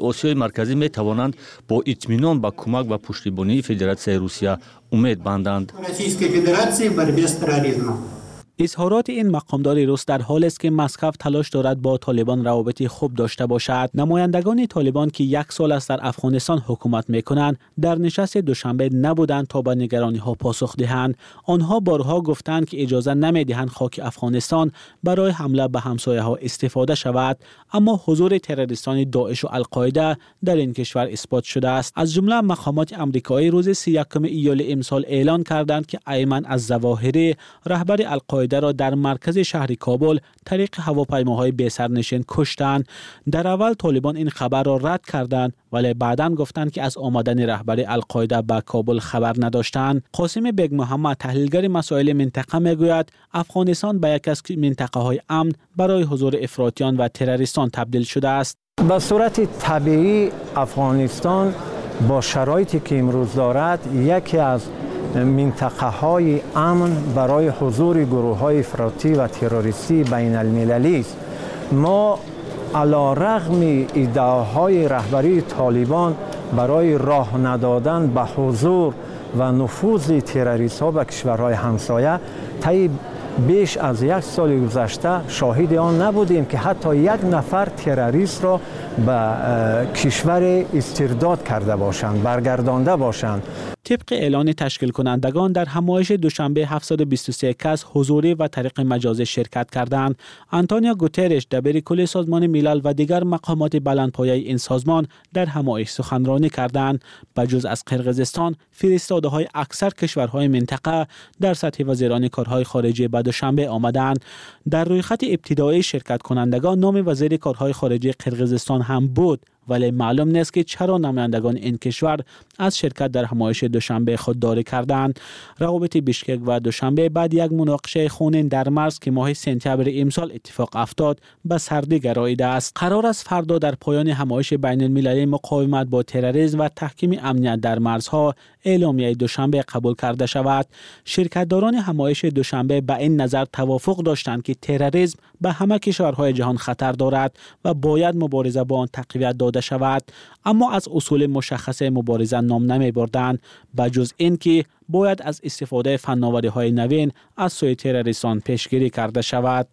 Осиёи Марказӣ метавонанд бо итминон ба кӯмак ва пуштибонии Федератсияи Русия умед банданд. Изҳороти ин мақомдори рус дар ҳолест, ки Москва талош дорад бо Толибон равобити хуб дошта бошад. Намояндагони Толибон, ки як сол аст дар Афғонистон ҳукумат мекунанд, дар нишасти Душанбе набуданд то ба нигарониҳо посух диҳанд. Онҳо борҳо гуфтанд, ки иҷоза намедиҳанд хоки Афғонистон барои ҳамла ба ҳамсояҳо истифода шавад. Аммо ҳузури террористони Доиш ва Алқоида дар ин кишвар исбот шудааст. Аз ҷумла мақомоти амрикоӣ рӯзи 31 июли имсол эълон карданд, ки Айман аз-Завоҳирӣ, раҳбари Алқоида, дар маркази шаҳри Кобул тариқи ҳавопаймоҳои бесарнишин куштанд. Дар аввал Толибон ин хабарро рад карданд, вале баъдан гуфтанд, ки аз омадани раҳбари Алқоида ба Кобул хабар надоштанд. Қосим Бег Муҳаммад, таҳлилгари масоили минтақа, мегӯяд Афғонистон ба яке аз минтақаҳои амн барои ҳузури ифротиён ва террористон табдил шудааст. Ба сурати табиӣ Афғонистон бо шароите ки имрӯз дорад яке аз минтақаҳои амн барои ҳузури гурӯҳҳои ифротӣ ва террористии байналмилалӣ аст. Мо аларағми иддаоҳои раҳбарии Толибон барои роҳ надодан ба ҳузур ва нуфузи террористҳо ба кишварҳои ҳамсоя таи беш аз як соли гузашта шоҳиди он набудем, ки ҳатто як нафар террористро ба кишвар истирдод карда бошанд, баргардонда бошанд. Тибқи эълони ташкилкунандагон дар ҳамоиши Душанбе 723 кас ҳузурӣ ва тариқи маҷозӣ ширкат карданд. Антонио Гутерреш, дабири кулли Созмони Милал ва дигар мақомоти баландпояи ин созмон дар ҳамоиш суханронӣ карданд. Ба ҷуз аз Қирғизистон, фиристодаҳои аксар кишварҳои минтақа дар сатҳи вазирони корҳои хориҷӣ ба Душанбе омаданд. Дар рӯйхати ибтидоии ширкаткунандагон номи вазири корҳои хориҷии Қирғизистон ҳам буд, вале маълум нест, ки чаро намояндагони ин кишвар аз ширкат дар ҳамоиши Душанбе худдорӣ карданд. Равобити Бишкек ва Душанбе баъд як муноқишаи хунин дар марз, ки моҳи сентябри имсол иттифоқ афтод, ба сардӣ гароидааст. Қарор аст фардо дар поёни ҳамоиши байналмилалии муқовимат бо терроризм ва таҳкими амният дар марзҳо эъломияи Душанбе қабул карда шавад. Ширкатдорони ҳамоиши Душанбе ба ин назар тавофуқ доштанд, ки терроризм ба ҳама кишварҳои ҷаҳон хатар дорад ва бояд мубориза бо он тақвият дода шавад, аммо аз усули мушаххаси мубориза ном намебурданд, ба ҷуз ин ки бояд аз истифодаи фанновариҳои навин аз сӯи террористон пешгирӣ карда шавад.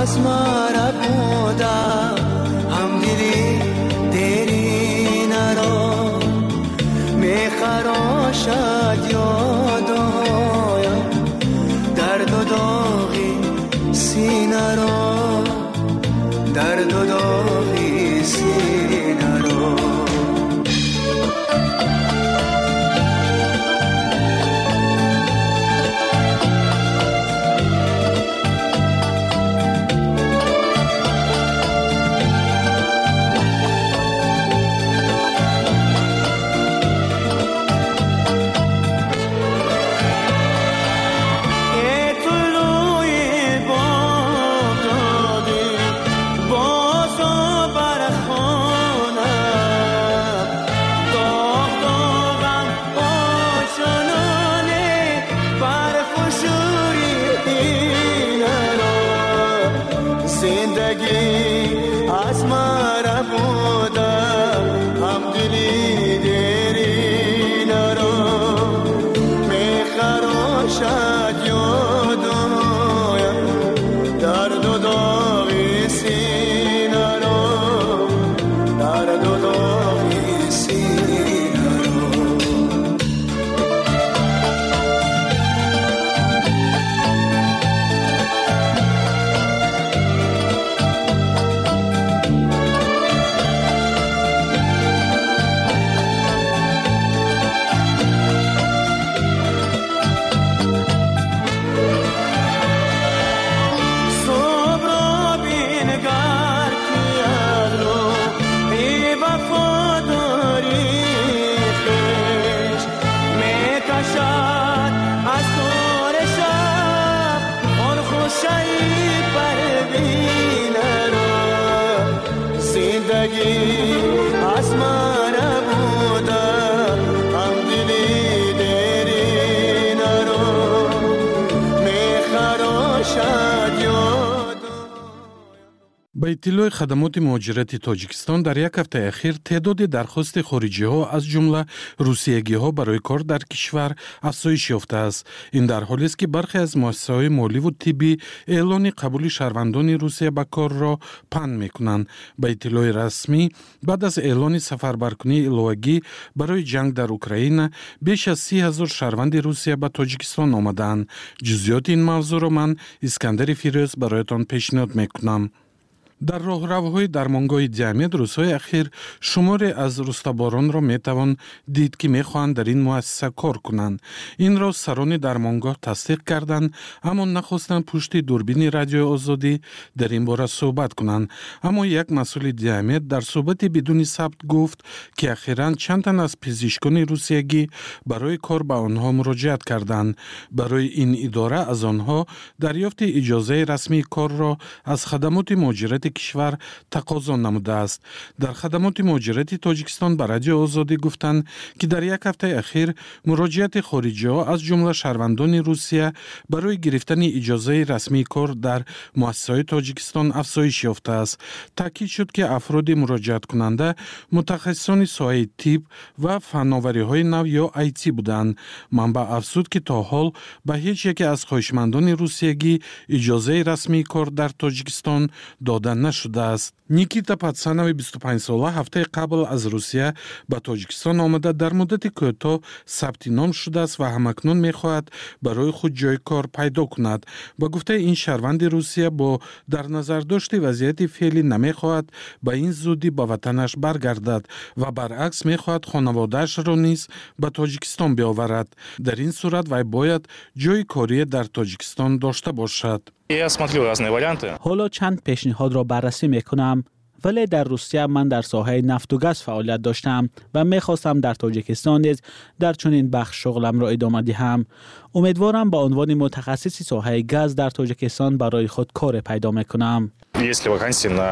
از مرا بودا همدلی تیری نرو میخراشد یادایم درد و داغی سینه را درد و داغی سینه را. Зиндагӣ аз ман набуда ҳамдили деринаро мехарошад ёд. Ба иттилои хадамоти муҳоҷирати Тоҷикистон, дар як ҳафтаи ахир теъдоди дархости хориҷиҳо, аз ҷумла русиягиҳо, барои кор дар кишвар афзоиш ёфтааст. Ин дар ҳолест, ки бархе аз муассисаҳои моливу тиббӣ эълони қабули шаҳрвандони Русия ба корро панд мекунанд. Ба иттилои расмӣ, баъд аз эълони сафарбаркунии иловагӣ барои ҷанг дар Украина, беш аз 30 000 шаҳрванди Русия ба Тоҷикистон омадаанд. Ҷузъиёти ин мавзӯъро ман, Искандари Фирӯз, бароятон пешниҳод мекунам. Дар роҳравҳои дармонгоҳи Диамед рӯзҳои ахир шуморе аз рустаборонро метавон дид, ки мехоҳанд дар ин муассиса кор кунанд. Инро сарони дармонгоҳ тасдиқ карданд, аммо нахостанд пушти дурбини Радиои Озодӣ дар ин бора суҳбат кунанд. Аммо як масъули Диамед дар суҳбати бидуни сабт гуфт, ки ахиран чанд тан аз пизишкони русиягӣ барои кор ба онҳо муроҷиат карданд. Барои ин идора аз онҳо дарёфти иҷозаи расмии корро аз хадамоти муҳоҷирати кишвар тақозо намудааст. Дар хадамоти муҳоҷирати Тоҷикистон ба Радиои Озодӣ гуфтанд, ки дар як ҳафтаи ахир муроҷиати хориҷиҳо, аз ҷумла шаҳрвандони Русия, барои гирифтани иҷозаи расмии кор дар муассисаҳои Тоҷикистон афзоиш ёфтааст. Таъкид шуд, ки афроди муроҷиаткунанда мутахассисони соҳаи тиб ва фанновариҳои нав ё IT буданд. Манбаъ афзуд, ки то ҳол ба ҳеҷ яке аз хоҳишмандони русиягӣ иҷозаи расмии кор дар Тоҷикистон дода нашудааст. Никита Патсанови 25-сола ҳафтаи қабл аз Русия ба Тоҷикистон омада, дар муддати кӯтоҳ сабти ном шудааст ва ҳамакнун мехоҳад барои худ ҷои кор пайдо кунад. Ба гуфтаи ин шаҳрванди Русия, бо дар назардошти вазъияти феълӣ намехоҳад ба ин зудӣ ба ватанаш баргардад ва баръакс мехоҳад хонаводаашро низ ба Тоҷикистон биоварад. Дар ин сурат вай бояд ҷои корие дар Тоҷикистон дошта бошад. Я смотрю разные варианты. Ҳоло чанд пешниҳодро баррасӣ мекунам, вале дар Русия ман дар соҳаи нафту газ фаъолият доштам ва мехостам дар Тоҷикистон низ дар чунин бахш шуғламро идома диҳам. Умедворам, ба унвони мутахассиси соҳаи газ дар Тоҷикистон барои худ коре пайдо мекунам. Есть ли вакансии на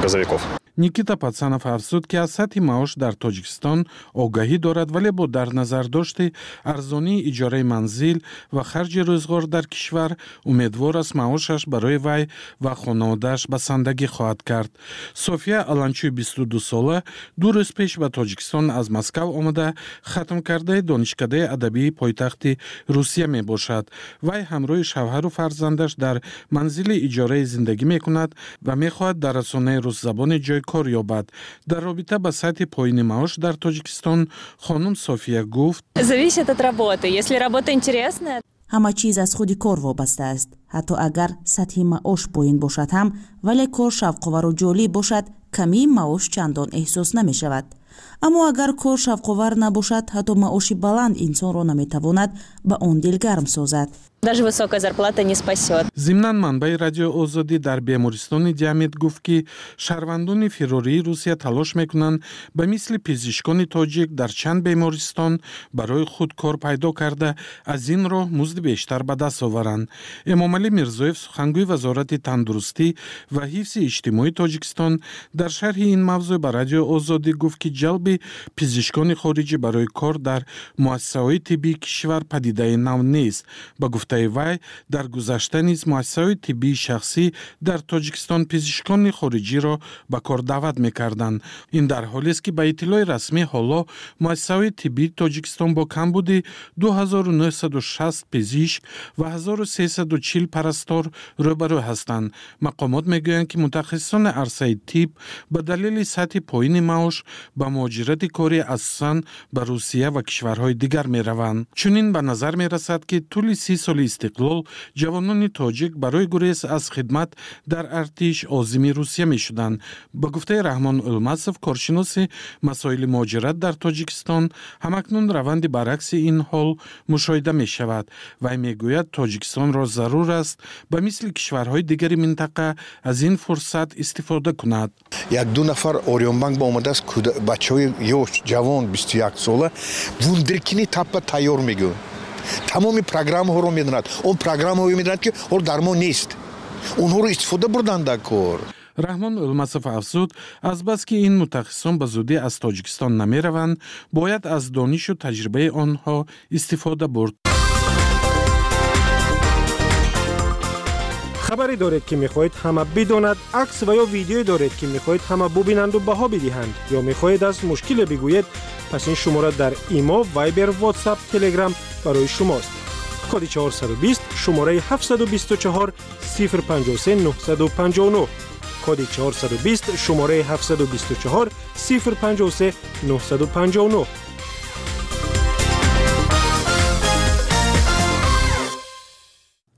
газовиков? Никита Патсанов афзуд, ки аз сатҳи маош дар Тоҷикистон огаҳӣ дорад, вале бо дар назардошти арзонии иҷораи манзил ва харҷи рӯзғор дар кишвар умедвор аст, маошаш барои вай ва хонаводааш басандагӣ хоҳад кард. София Аланчӯи 22-сола 2 рӯз пеш ба Тоҷикистон аз Москав омада, хатмкардаи донишкадаи адабии пойтахти Русия мебошад. Вай ҳамроҳи шавҳару фарзандаш дар манзили иҷораи зиндагӣ мекунад ва мехоҳад дар расонаи русзабоне ҷои кор ёбад. Дар робита ба сатҳи поини маош дар Тоҷикистон хонум София гуфт: Зависит от работы. Если работа интересная. Ҳама чиз аз худи кор вобаста аст. Ҳатто агар сатҳи маош поин бошад ҳам, вале кор шавқовару ҷолиб бошад, камии маош чандон эҳсос намешавад. Аммо агар кор шавқовар набошад, ҳатто маоши баланд инсонро наметавонад ба он дилгарм созад. Даже высокая зарплата не спасет. Зимнан, манбаи Радиои Озодӣ дар бемористони Диамед гуфт, ки шаҳрвандони фирории Русия талош мекунанд ба мисли пизишкони тоҷик дар чанд бемористон барои худ кор пайдо карда, аз ин роҳ музди бештар ба даст оваранд. Эмомалӣ Мирзоев, сухангӯи Вазорати тандурустӣ ва ҳифзи иҷтимоии Тоҷикистон, дар шарҳи ин мавзӯъ ба Радиои Озодӣ гуфт, ки ҷалби пизишкони хориҷӣ барои кор дар муассисаҳои тиббии кишвар падидаи нав нест. Ба гуфтаи вай, дар гузашта низ муассисаҳои тиббии шахсӣ дар Тоҷикистон пизишкони хориҷиро ба кор даъват мекарданд. Ин дар ҳолест, ки ба иттилои расмӣ ҳоло муассисаҳои тиббии Тоҷикистон бо камбуди 2960 пизишк ва 1340 парастор рӯбарӯ ҳастанд. Мақомот мегӯянд, ки мутахассисони арсаи тиб ба далели сатҳи поини маош ба муҳоҷирати корӣ асосан ба Русия ва кишварҳои дигар мераванд. Чунин ба назар мерасад, ки тӯли 30 соли истиқлол ҷавонони тоҷик барои гурез аз хидмат дар артиш озими Русия мешуданд. Ба гуфтаи Раҳмон Улмасов, коршиноси масоили муҳоҷират дар Тоҷикистон, ҳамакнун раванди баръакси ин ҳол мушоҳида мешавад. Вай мегӯяд, Тоҷикистонро зарур аст ба мисли кишварҳои дигари минтақа аз ин фурсат истифода кунад. Як ду нафар Ориёнбанк ба омадааст, бачаҳои ёш, ҷавон, 21 сола, вундеркини таппа тайёр мегӯянд, тамоми программаҳоро медонад. Он программаҳое медонад, ки ҳол дар мо нест, онҳоро истифода бурданд дар кор. Раҳмон Ӯлмасов афзуд, азбаски ин мутахассисон ба зудӣ аз Тоҷикистон намераванд, бояд аз донишу таҷрибаи онҳо истифода бурд. Хабаре доред, ки мехоҳед ҳама бидонад, акс ва ё видеое доред, ки мехоҳед ҳама бубинанду баҳо бидиҳанд, ё мехоҳед аз мушкиле бигӯед, пас ин шумора дар Имо, Вайбер, Ватсап, Телеграм барои шумост. Коди 420, шумораи 724 053 959. Коди 420, шумораи 724 053 959.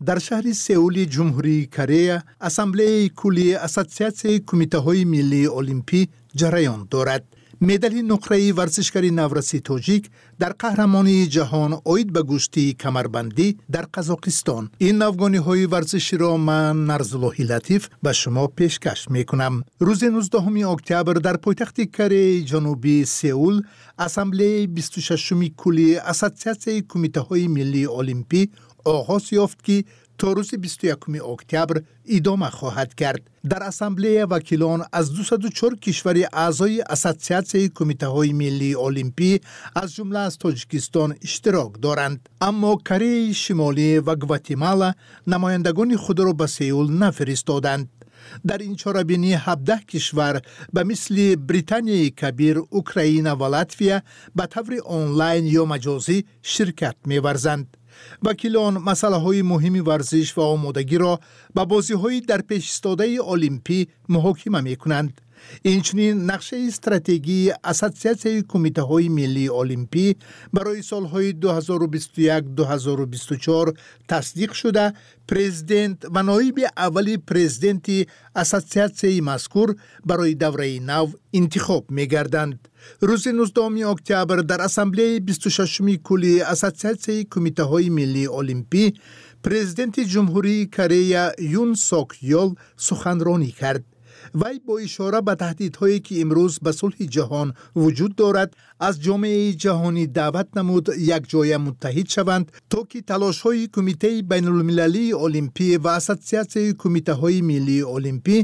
Дар шаҳри Сеули Ҷумҳурии Корея Ассамблеяи куллии Ассотсиатсияи кумитаҳои миллии олимпӣ ҷараён дорад. Медали нуқраи варзишгари навраси тоҷик дар қаҳрамонии ҷаҳон оид ба гӯштии камарбандӣ дар Қазоқистон. Ин навгониҳои варзиширо ман, Нарзуллоҳи Латиф, ба шумо пешкаш мекунам. Рӯзи 19 октябр дар пойтахти Кореяи Ҷанубӣ Сеул Ассамблеяи 26-уми куллии Ассотсиатсияи кумитаҳои миллии олимпӣ оғоз ёфт, ки то рӯзи 21 октябр идома хоҳад кард. Дар ассамблея вакилон аз 204 кишвари аъзои Ассотсиатсияи кумитаҳои миллии олимпӣ, аз ҷумла аз Тоҷикистон, иштирок доранд. Аммо Кореяи Шимолӣ ва Гватемала намояндагони худро ба Сеул нафиристоданд. Дар ин чорабинӣ 17 кишвар ба мисли Британияи Кабир, Украина ва Латвия ба таври онлайн ё маҷозӣ ширкат меварзанд. Вакилон масъалаҳои муҳими варзиш ва омодагиро ба бозиҳои дар пешистодаи олимпӣ муҳокима мекунанд. Инчунин нақшаи стратегии Ассотсиатсияи кумитаҳои миллии олимпӣ барои солҳои 2021-2024 тасдиқ шуда, президент ва ноиби аввали президенти ассотсиатсияи мазкур барои давраи нав интихоб мегарданд. Рӯзи 19 октябр дар ассамблеяи 26-уми куллии Ассотсиатсияи кумитаҳои миллии олимпӣ президенти Ҷумҳурии Корея Юн Сок Ёл суханронӣ кард. Вай бо ишора ба таҳдидҳое, ки имрӯз ба сулҳи ҷаҳон вуҷуд дорад, аз ҷомеаи ҷаҳонӣ даъват намуд якҷоя муттаҳид шаванд, то ки талошҳои Кумитаи байнулмилалии олимпӣ ва Ассотсиатсияи кумитаҳои миллии олимпӣ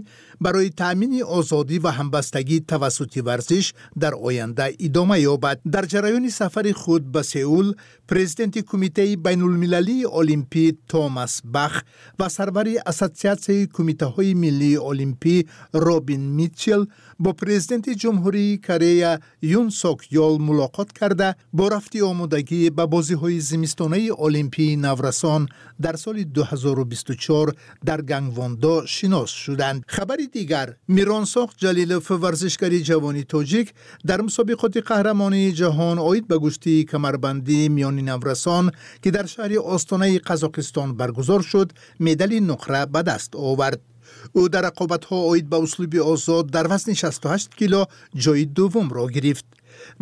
барои таъмини озодӣ ва ҳамбастагӣ тавассути варзиш дар оянда идома ёбад. Дар ҷараёни сафари худ ба Сеул президенти Кумитаи байнулмилалии олимпӣ Томас Бах ва сарвари Ассотсиатсияи кумитаҳои миллии олимпӣ Робин Митчел бо президенти Ҷумҳурии Корея Юн Сок Ёл мулоқот карда, бо рафти омодагӣ ба бозиҳои зимистонаи олимпии наврасон дар соли 2024 дар Гангвондо шинос шуданд. Хабари дигар: Миронсоқ Ҷалилов, варзишгари ҷавони тоҷик, дар мусобиқоти қаҳрамонии ҷаҳон оид ба гӯштии камарбандӣ миёни наврасон, ки дар шаҳри Остонаи Қазоқистон баргузор шуд, медали нуқра ба даст овард. Ӯ дар рақобатҳо оид ба услуби озод дар вазни 68 кило ҷои дуввумро гирифт.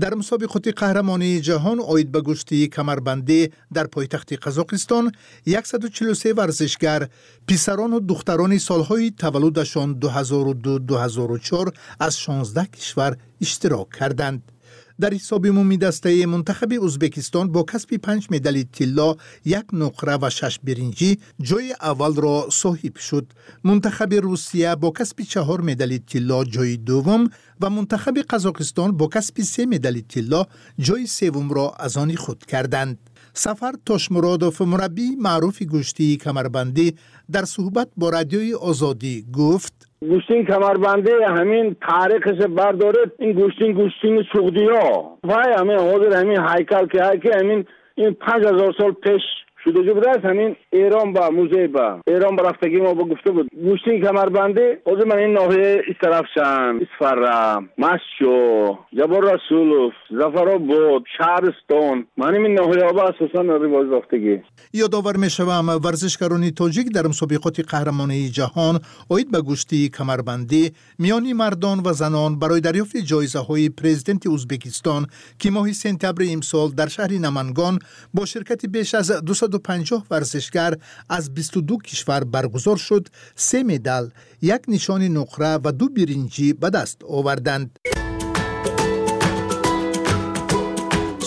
Дар мусобиқоти қаҳрамонии ҷаҳон оид ба гӯштии камарбандӣ дар пойтахти Қазоқистон 143 варзишгар, писарону духтарони солҳои таваллудашон 2002-2004, аз 16 кишвар иштирок карданд. Дар ҳисоби умумидастаи мунтахаби Ӯзбекистон бо касби панҷ медали тилло, як нуқра ва шаш биринҷӣ ҷои аввалро соҳиб шуд. Мунтахаби Русия бо касби чаҳор медали тилло ҷои дуввум ва мунтахаби Қазоқистон бо касби се медали тилло ҷои севумро аз они худ карданд. Сафар Тошмуродов, мураббии маъруфи гӯштии камарбандӣ, дар суҳбат бо Радиои Озодӣ гуфт: Гӯштин камарбандӣ, ҳамин таърихаш бардоред, ин гӯштин, гӯштини суғдиё вай, ҳамин ҳозир ҳамин ҳайкал ки ҳай, ки ҳамин ин 5000 сол пеш шудагӣ будааст. Ҳамин Эрон ба музей ба Эрон ба рафтагӣ мо ба гуфта буд, гӯштин камарбандӣ ҳозир ман ин ноҳияи Истарафшан, Исфара, Масчо, Ҷаббор Расулов, Зафаробод, шаҳристон, ман ҳамин ноҳияҳо ба асосан ривоҷ ёфтагӣ. Ёдовар мешавам, варзишгарони тоҷик дар мусобиқоти қаҳрамонии ҷаҳон оид ба гӯштии камарбандӣ миёни мардон ва занон барои дарёфти ҷоизаҳои президенти Ӯзбекистон, ки моҳи сентябри имсол дар шаҳри Намангон бо ширкати беш аз 250 варзишгар аз 22 кишвар баргузор шуд, се медал, як нишони нуқра ва ду биринҷӣ ба даст оварданд.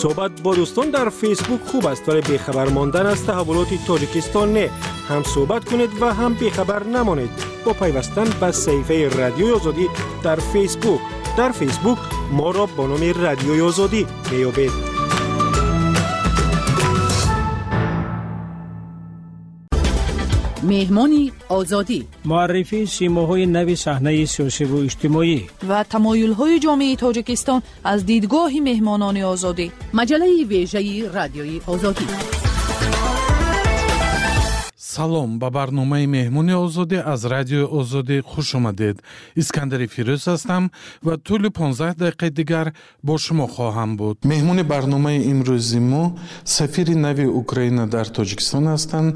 Суҳбат бо дӯстон дар Фейсбук хуб аст, вале бехабар мондан аз таҳаввулоти Тоҷикистон не. Ҳам суҳбат кунед ва ҳам бехабар намонед. Бо пайвастан ба саҳифаи Радиои Озодӣ дар Фейсбук. Дар Фейсбук моро бо номи Радиои Озодӣ меёбед. Меҳмони Озодӣ. Муаррифии симоҳои нави саҳнаи сиёсиву иҷтимоӣ ва тамоюлҳои ҷомеаи Тоҷикистон аз дидгоҳи меҳмонони Озодӣ. Маҷаллаи вежаи Радиои Озодӣ. Салом, ба барномаи Меҳмони Озодӣ аз Радиои Озодӣ хуш омадед. Искандари Фирӯз ҳастам ва тӯли 15 дақиқаи дигар бо шумо хоҳам буд. Меҳмони барномаи имрӯзи мо сафири нави Украина дар Тоҷикистон ҳастанд.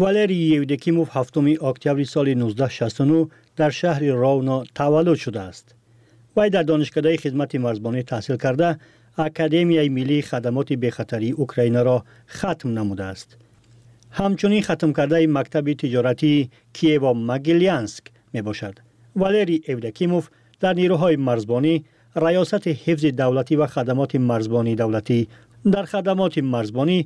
Валерий Евдокимов 7 октябри соли 1969 дар шаҳри Ровно таваллуд шудааст. Вай дар донишкадаи хизмати марзбонӣ таҳсил карда, Академияи миллии хадамоти бехатарии Украинаро хатм намудааст. Ҳамчунин хатмкардаи мактаби тиҷоратии Киево-Могилянск мебошад. Валерий Евдокимов дар нерӯҳои марзбонӣ, раёсати ҳифзи давлатӣ ва хадамоти марзбонии давлатӣ. Дар хадамоти марзбонӣ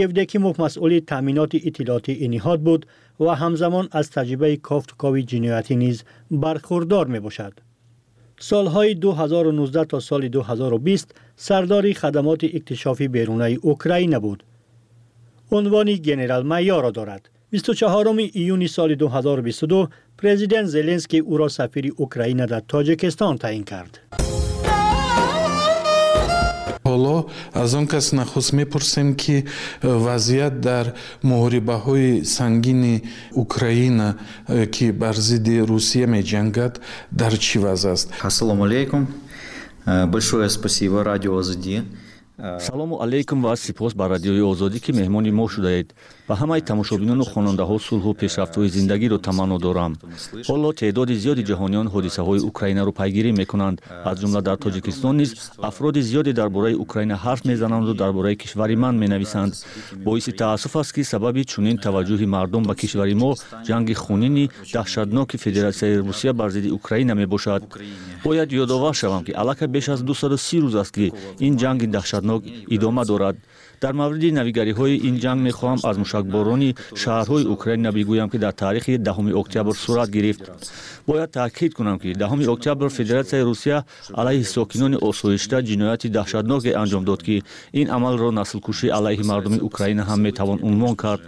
Евдокимов масъули таъминоти иттилоотии ин ниҳод буд ва ҳамзамон аз таҷрибаи кофтукови ҷиноятӣ низ бархурдор мебошад. Солҳои 2019 то соли 2020 сардори хадамоти иктишофи берунаи Украина буд. Унвони генерал-майорро дорад. 24 июни соли 2022 президент Зеленский ӯро сафири Украина дар Тоҷикистон таъин кард. Ҳоло аз он кас нахуст мепурсем, ки вазъият дар муҳорибаҳои сангини Украина, ки бар зидди Русия меҷангад, дар чӣ вазъ аст. Ассалому алайкум. Большое спасибо Радио Озодӣ. Салому алайкум ва сипос ба Радиои Озодӣ, ки меҳмони мо шудаед. Ба ҳамаи тамошобинону хонандаҳо сулҳу пешрафтҳои зиндагиро таманно дорам. Ҳоло теъдоди зиёди ҷаҳониён ҳодисаҳои Украинаро пайгирӣ мекунанд. Аз ҷумла дар Тоҷикистон низ афроди зиёде дар бораи Украина ҳарф мезананду дар бораи кишвари ман менависанд. Боиси таассуф аст, ки сабаби чунин таваҷҷӯҳи мардум ба кишвари мо ҷанги хунини даҳшатноки Федератсияи Русия бар зидди Украина мебошад. Бояд ёдовар шавам, ки аллакай беш аз 230 рӯз аст, ки ин ҷанги даҳшатнок идома дорад. Дар мавриди навигариҳои ин ҷанг мехоҳам аз мушакборони шаҳрҳои Украина бигӯям, ки дар таърихи 10 октябр сурат гирифт. Бояд таъкид кунам, ки 10 октябр Федератсияи Русия алайҳи сокинони осоишта ҷинояти даҳшатноке анҷом дод, ки ин амалро наслкушӣ алайҳи мардуми Украина ҳам метавон унвон кард.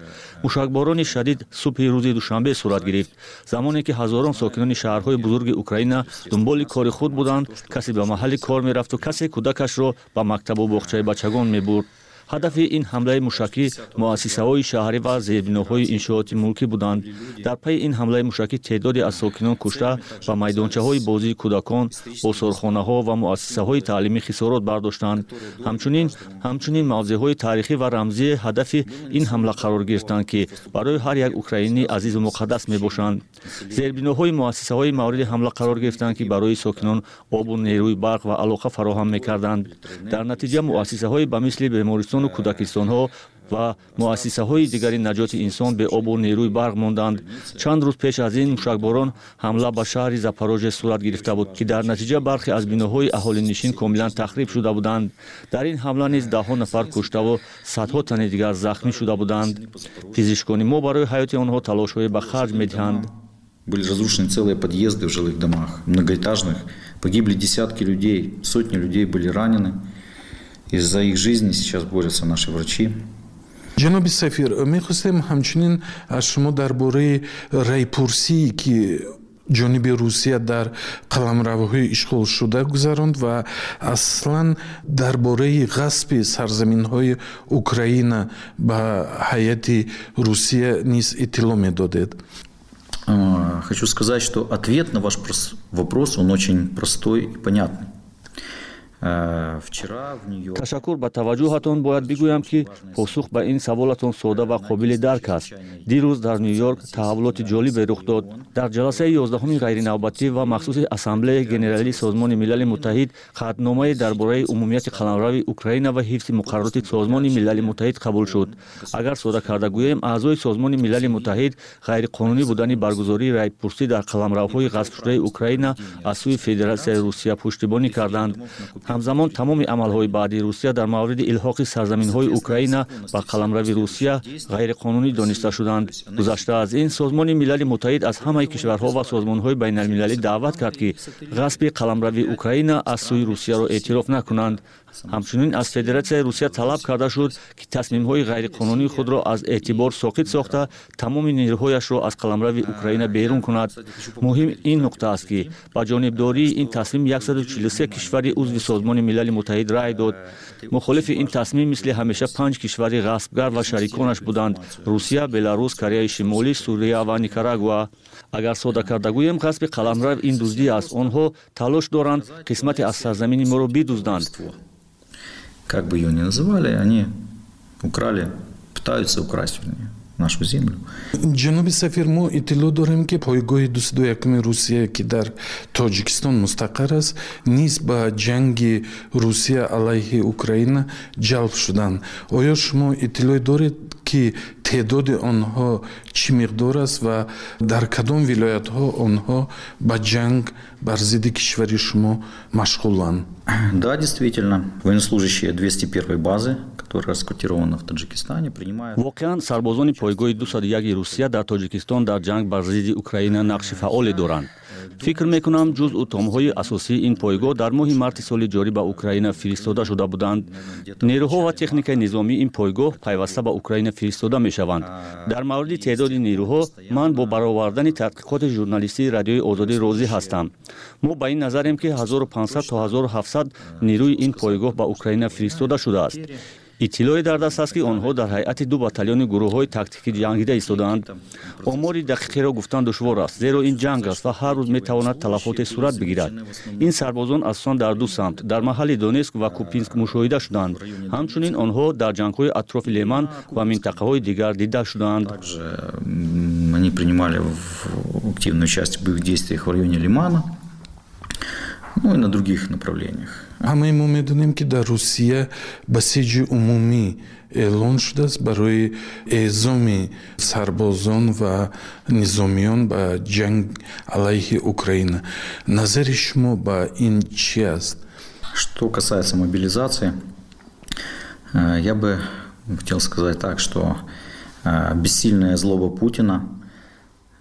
Мушакборони шадид субҳи рӯзи душанбе сурат гирифт, замоне ки ҳазорон сокинони шаҳрҳои бузурги Украина дунболи кори худ буданд. Касе ба маҳалли кор мерафту касе кӯдакашро ба мактабу боғчаи бачагон мебурд. Ҳадафи ин ҳамлаи мушакӣ муассисаҳои шаҳрӣ ва зербиноҳои иншооти мулкӣ буданд. Дар пайи ин ҳамлаи мушакӣ теъдоде аз сокинон кушта ва майдончаҳои бозии кӯдакон, осорхонаҳо ва муассисаҳои таълимӣ хисорот бардоштанд. Ҳамчунин мавзеъҳои таърихӣ ва рамзии ҳадафи ин ҳамла қарор гирифтанд, ки барои ҳар як украинӣ азизу муқаддас мебошанд. Зербиноҳои муассисаҳои мавриди ҳамла қарор гирифтанд, ки барои сокинон обу нерӯи барқ ва алоқа фароҳам мекарданд. Дар натиҷа муассисаҳои ба мисли бемористон кӯдакистонҳо ва муассисаҳои дигари наҷоти инсон бе обу нерӯи барқ монданд. Чанд рӯз пеш аз ин мушакборон ҳамла ба шаҳри Запорожье сурат гирифта буд, ки дар натиҷа бархе аз биноҳои аҳолинишин комилан тахриб шуда буданд. Дар ин ҳамла низ даҳҳо нафар куштаву садҳо тани дигар захмӣ шуда буданд. Пизишкони мо барои ҳаёти онҳо талошҳое ба харҷ медиҳанд. Были разрушены целые подъезды в жилых домах, многоэтажных. Погибли десятки людей, сотни людей были ранены. Из-за их жизни сейчас борются наши врачи. Ҷаноби сафир, мехостем ҳамчунин аз шумо дар бораи райпурсие, ки ҷониби Русия дар қаламравҳои ишғолшуда гузаронд ва аслан дар бораи ғасби сарзаминҳои Украина ба ҳайати Русия низ иттилоъ медодед. Хочу сказать, что ответ на ваш вопрос, он очень простой и понятный. Ташаккур ба таваҷҷӯҳатон. Бояд бигӯям, ки посух ба ин саволатон сода ва қобили дарк аст. Дирӯз дар Ню-Йорк таҳаввулоти ҷолибе рух дод. Дар ҷаласаи 11-уми ғайринавбатӣ ва махсуси Ассамблеяи Генералии Созмони Милали Муттаҳид қатъномае дар бораи умумияти қаламрави Украина ва ҳифзи муқаррароти Созмони Милали Муттаҳид қабул шуд. Агар сода карда гӯем, аъзои Созмони Милали Муттаҳид ғайриқонунӣ будани баргузории райпурсӣ дар қаламравҳои ғасбшудаи Украина аз сӯи Федератсияи Русия пуштибонӣ карданд. Ҳамзамон тамоми амалҳои баъдии Русия дар мавриди илҳоқи сарзаминҳои Украина ба қаламрави Русия ғайриқонунӣ дониста шуданд. Гузашта аз ин, Созмони Милали Муттаҳид аз ҳамаи кишварҳо ва созмонҳои байналмилалӣ даъват кард, ки ғасби қаламрави Украина аз сӯи Русияро эътироф накунанд. Ҳамчунин аз Федератсияи Русия талаб карда шуд, ки тасмимҳои ғайриқонунии худро аз эътибор соқит сохта, тамоми нерӯҳояшро аз қаламрави Украина берун кунад. Муҳим ин нуқта аст, ки ба ҷонибдории ин тасмим 143 кишвари узви Созмони Милали Муттаҳид рай дод. Мухолифи ин тасмим мисли ҳамеша панҷ кишвари ғасбгар ва шариконаш буданд: Русия, Беларус, Кореяи Шимолӣ, Сурия ва Никарагуа. Агар сода карда гӯем, ғасби қаламрав ин дуздӣ аст. Онҳо талош доранд қисмате аз сарзамини моро бидузданд. Как бы ее ни называли, они украли, пытаются украсть, вернее, нашу землю. Ҷаноби сафир, мо иттилоъ дорем, ки пойгоҳи 201-уми Русия, ки дар Тоҷикистон мустақар аст, низ ба ҷанги Русия алайҳи Украина ҷалб шуданд. Оё шумо иттилоъ доред, ки теъдоди онҳо чӣ миқдор аст ва дар кадом вилоятҳо онҳо ба ҷанг бар зидди кишвари шумо машғуланд? Да, действительно, военнослужащие 201 базы, которая расквартирована в Таджикистане, принимают. Воқеан, сарбозони пойгоҳи 201 Русия дар Тоҷикистон дар ҷанг бар зидди Украина нақши фаъоле доранд. Фикр мекунам, ҷузъу томҳои асосии ин пойгоҳ дар моҳи марти соли ҷорӣ ба Украина фиристода шуда буданд. Нерӯҳо ва техникаи низомии ин пойгоҳ пайваста ба Украина фиристода мешаванд. Дар мавриди теъдоди нерӯҳо ман бо баровардани тадқиқоти журналистии Радиои Озодӣ розӣ ҳастам. Мо ба ин назарем, ки 1500 то 1700 нерӯи ин пойгоҳ ба Украина фиристода шудааст. Иттилоъе дар даст аст, ки онҳо дар ҳайати ду батальони гурӯҳҳои тактикӣ ҷангида истодаанд. Омори дақиқеро гуфтан душвор аст, зеро ин ҷанг аст ва ҳар рӯз метавонад талафоте сурат бигирад. Ин сарбозон асосан дар ду самт, дар маҳалли Донецк ва Купянск, мушоҳида шуданд. Ҳамчунин онҳо дар ҷангҳои атрофи Лиман ва минтақаҳои дигар дида шуданд. Они принимали активное участие в боевых действиях в районе Лимана, ну и на других направлениях. Ҳамаи мо медонем, ки дар Русия басиҷи умумӣ эълон шудааст барои эъзоми сарбозон ва низомиён ба ҷанг алайҳи Украина. Назари шумо ба ин чӣ аст? Что касается мобилизации, я бы хотел сказать так, что бессильная злоба Путина,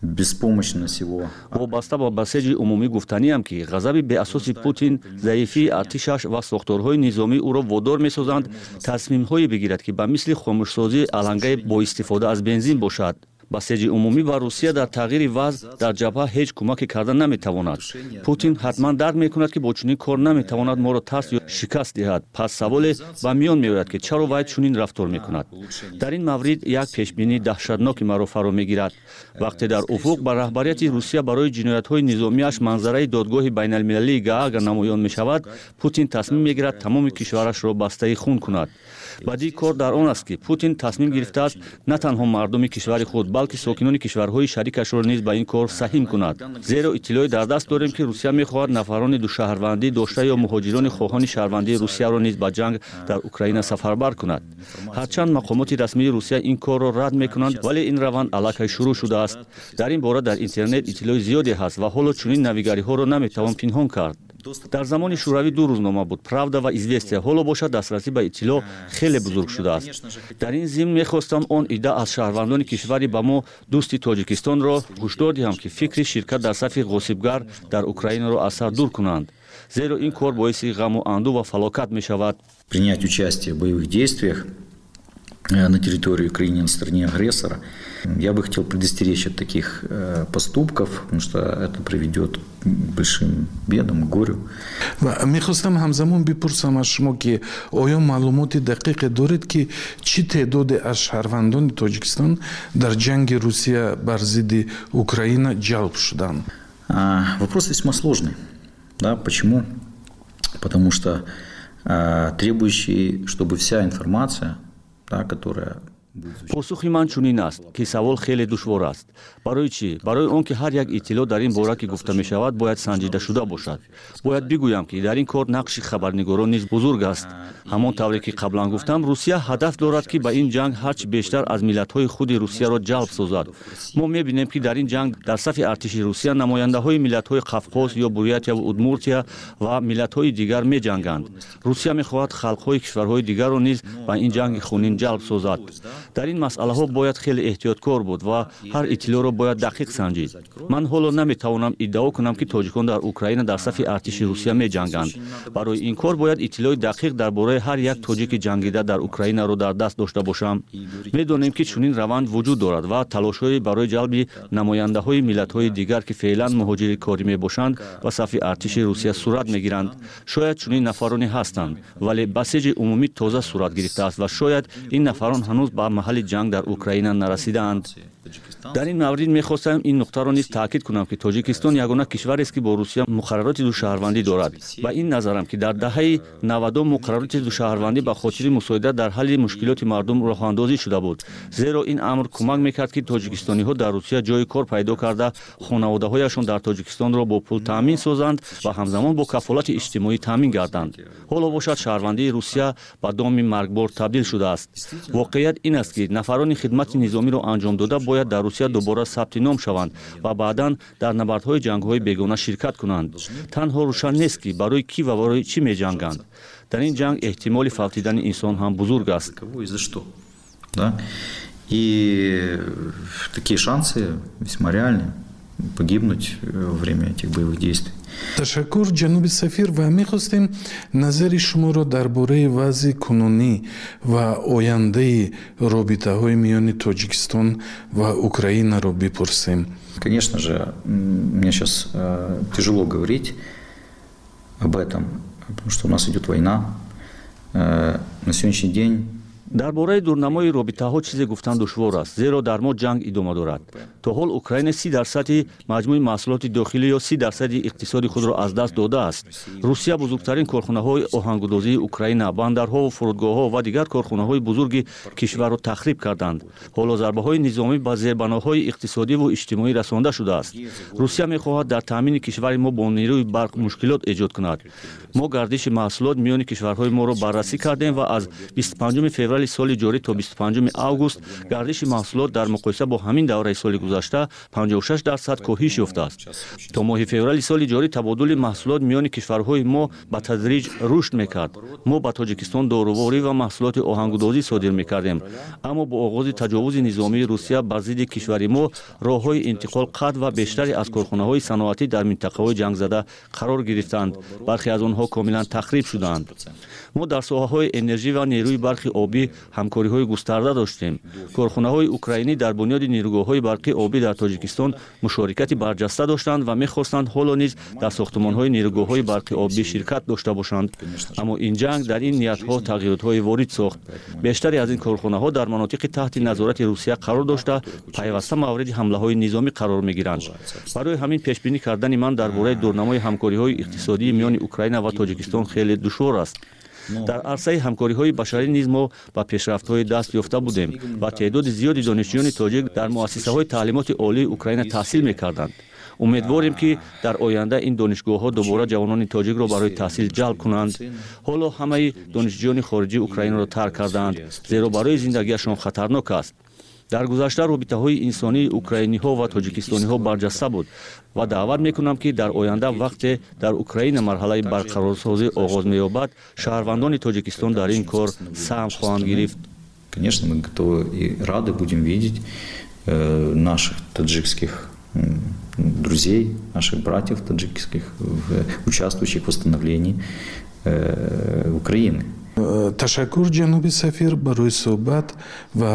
беспомощность его. Вобаста ба басеҷи умумӣ гуфтаниам, ки ғазаби беасоси Путин, заифии артишаш ва сохторҳои низомӣ ӯро водор месозанд тасмимҳое бигирад, ки ба мисли хомӯшсозии алангаи бо истифода аз бензин бошад. Басеҷи умумӣ ба Русия дар тағйири вазъ дар ҷабҳа ҳеҷ кӯмаке карда наметавонад. Путин ҳатман дарк мекунад, ки бо чунин кор наметавонад моро тарс ё шикаст диҳад. Пас саволе ба миён меояд, ки чаро вай чунин рафтор мекунад. Дар ин маврид як пешбинии даҳшатноки маро фаро мегирад. Вақте дар уфуқ ба раҳбарияти Русия барои ҷиноятҳои низомиаш манзараи Додгоҳи байналмилалии Гаага намоён мешавад, Путин тасмим мегирад тамоми кишварашро бастаи хун кунад. Бадии кор дар он аст, ки Путин тасмим гирифтааст на танҳо мардуми кишвари худ, балки сокинони кишварҳои шарикашро низ ба ин кор саҳим кунад, зеро иттилоъе дар даст дорем, ки Русия мехоҳад нафарони душаҳрвандӣ дошта ё муҳоҷирони хоҳони шаҳрвандии Русияро низ ба ҷанг дар Украина сафарбар кунад. Ҳарчанд мақомоти расмии Русия ин корро рад мекунанд, вале ин раванд аллакай шурӯъ шудааст. Дар ин бора дар интернет иттилои зиёде ҳаст ва ҳоло чунин навигариҳоро наметавон пинҳон кард. Дар замони Шӯравӣ ду рӯзнома буд: «Правда» ва «Известия». Ҳоло бошад, дастрасӣ ба иттилоъ хеле бузург шудааст. Дар ин зимн мехостам он идда аз шаҳрвандони кишвари ба мо дӯсти Тоҷикистонро ҳушдор диҳам, ки фикри ширкат дар сафи ғосибгар дар Украинаро аз сар дур кунанд, зеро ин кор боиси ғаму андӯ ва фалокат мешавад. Принять участие в боевых действиях на территории Украины на стороне агрессора. Я бы хотел предостеречь от таких поступков, потому что это приведет к большим бедам, к горю. Ва мехостам ҳамзамон бипурсам аз шумо, ки оё маълумоти дақиқе доред, ки чӣ теъдоде аз шаҳрвандони Тоҷикистон дар ҷанги Русия бар зидди Украина ҷалб шуданд? Вопрос весьма сложный. Да, почему? Потому что требующий, чтобы вся информация, да, которая Посухи ман чунин аст, ки савол хеле душвор аст. Барои чӣ? Барои он ки ҳар як иттилоъ дар ин бора, ки гуфта мешавад, бояд санҷида шуда бошад. Бояд бигӯям, ки дар ин кор нақши хабарнигорон низ бузург аст. Ҳамон тавре ки қаблан гуфтам, Русия ҳадаф дорад, ки ба ин ҷанг ҳарчи бештар аз миллатҳои худи Русияро ҷалб созад. Мо мебинем, ки дар ин ҷанг дар сафи артиши Русия намояндаҳои миллатҳои Қавқоз ё Бурятияву Удмуртия ва миллатҳои дигар меҷанганд. Русия мехоҳад халқҳои кишварҳои дигарро низ ба ин ҷанги хунин ҷалб созад. Дар ин масъалаҳо бояд хеле эҳтиёткор буд ва ҳар иттилоъро бояд дақиқ санҷид. Ман ҳоло наметавонам иддао кунам, ки тоҷикон дар Украина дар сафи артиши Русия меҷанганд. Барои ин кор бояд иттилои дақиқ дар бораи ҳар як тоҷики ҷангида дар Украинаро дар даст дошта бошам. Медонем, ки чунин раванд вуҷуд дорад ва талошҳои барои ҷалби намояндаҳои миллатҳои дигар, ки феълан муҳоҷири корӣ мебошанд, ба сафи артиши Русия сурат мегиранд. Шояд чунин нафароне ҳастанд, вале басиҷи умумӣ тоза сурат гирифтааст ва шояд ин нафарон ҳанӯз ба маҳалли ҷанг дар Украина нарасидаанд. Дар ин маврид мехостам ин нуқтаро низ таъкид кунам, ки Тоҷикистон ягона кишварест, ки бо Русия муқаррароти душаҳрвандӣ дорад. Ба ин назарам, ки дар даҳаи 90-ум муқаррароти душаҳрвандӣ ба хотири мусоидат дар ҳалли мушкилоти мардум роҳандозӣ шуда буд, зеро ин амр кӯмак мекард, ки тоҷикистониҳо дар Русия ҷои кор пайдо карда, хонаводаҳояшон дар Тоҷикистонро бо пул таъмин созанд ва ҳамзамон бо кафолати иҷтимоӣ таъмин гарданд. Ҳоло бошад, шаҳрвандии Русия ба доми маргбор табдил шудааст. Воқеият ин аст, ки нафарони хидмати низомиро анҷом дода бояд дар Русия дубора сабти ном шаванд ва баъдан дар набардҳои ҷангҳои бегона ширкат кунанд. Танҳо рӯшан нест, ки барои кӣ ва барои чӣ меҷанганд. Дар ин ҷанг эҳтимоли фавтидани инсон ҳам бузург аст. И такие шансы весьма реальны погибнуть во время этих боевых действий. Ташаккур, ҷаноби сафир, ва мехостем назари шуморо дар бораи вазъи кунунӣ ва ояндаи робитаҳои миёни Тоҷикистон ва Украинаро бипурсем. Конечно же, мне сейчас тяжело говорить об этом, потому что у нас идет война. На сегодняшний день Дар бораи дурнамои робитаҳо чизе гуфтан душвор аст, зеро дар мо ҷанг идома дорад. То ҳол Украина 30 дарсади маҷмӯи маҳсулоти дохилӣ ё 30 дарсади иқтисоди худро аз даст додааст. Русия бузургтарин корхонаҳои оҳангудозии Украина, бандарҳову фурудгоҳҳо ва дигар корхонаҳои бузурги кишварро тахриб карданд. Ҳоло зарбаҳои низомӣ ба зербаноҳои иқтисодиву иҷтимоӣ расонда шудааст. Русия мехоҳад дар таъмини кишвари мо бо нерӯи барқ мушкилот эҷод кунад. Мо гардиши маҳсулот миёни кишварҳои моро баррасӣ кардем ва аз 25 феврали соли ҷорӣ то 25 август гардиши маҳсулот дар муқоиса бо ҳамин давраи соли гузашта 56% коҳиш ёфтааст. То моҳи феврали соли ҷорӣ табодули маҳсулот миёни кишварҳои мо ба тадриҷ рушд мекард. Мо ба Тоҷикистон доруворӣ ва маҳсулоти оҳангудозӣ содир мекардем, аммо бо оғози таҷовузи низомии Русия бар зидди кишвари мо роҳҳои интиқол қатъ ва бештаре аз корхонаҳои саноатӣ дар минтақаҳои ҷангзада қарор гирифтанд. Бархе аз онҳо комилан тахриб шуданд. Мо дар соҳаҳои энержӣ ва нерӯи барқи обӣ ҳамкориҳои густарда доштем. Корхонаҳои украинӣ дар бунёди нерӯгоҳҳои барқи обӣ дар Тоҷикистон мушорикати барҷаста доштанд ва мехостанд ҳоло низ дар сохтумонҳои нерӯгоҳҳои барқи обӣ ширкат дошта бошанд, аммо ин ҷанг дар ин ниятҳо тағйиротҳое ворид сохт. Бештаре аз ин корхонаҳо дар манотиқи таҳти назорати Русия қарор дошта, пайваста мавриди ҳамлаҳои низомӣ қарор мегиранд. Барои ҳамин пешбинӣ кардани ман дар бораи дурнамои ҳамкориҳои иқтисодии миёни Украина ва Тоҷикистон хеле душвор аст. Дар арсаи ҳамкориҳои башарӣ низ мо ба пешрафтҳое даст ёфта будем ва теъдоди зиёди донишҷӯёни тоҷик дар муассисаҳои таълимоти олии Украина таҳсил мекарданд. Умедворем, ки дар оянда ин донишгоҳҳо дубора ҷавонони тоҷикро барои таҳсил ҷалб кунанд. Ҳоло ҳамаи донишҷӯёни хориҷӣ Украинаро тарк кардаанд, зеро барои зиндагиашон хатарнок аст. Дар гузашта робитаҳои инсонии украиниҳо ва тоҷикистониҳо барҷаста буд ва даъват мекунам, ки дар оянда, вақте дар Украина марҳалаи барқарорсозӣ оғоз меёбад, шаҳрвандони Тоҷикистон дар ин кор саҳм хоҳанд гирифт. Конечно, мы готовы и рады будем видеть наших таджикских друзей, наших братьев таджикских, участвующих в восстановлении Украины. Ташаккур, ҷаноби сафир, барои суҳбат ва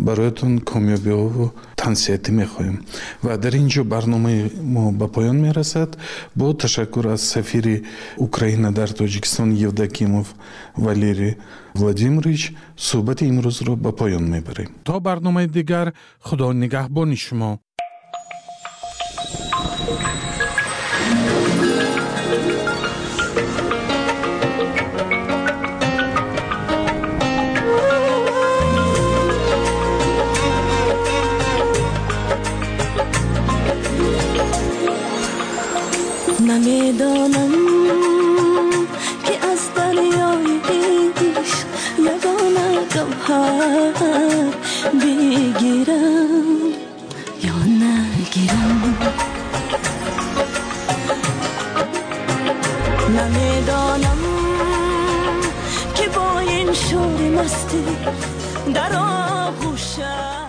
бароятон комёбиҳову тансиҳатӣ мехоҳем. Ва дар ин ҷо барномаи мо ба поён мерасад. Бо ташаккур аз сафири Украина дар Тоҷикистон Евдокимов Валерий Владимирович суҳбати имрӯзро ба поён мебарем. То барномаи дигар Худо нигаҳбони шумо. Намедонам ки аз дарёи ишқ ягона гавҳар бигирам ё нагирам. Намедонам ки бо ин шӯри мастӣ дар оғӯшам.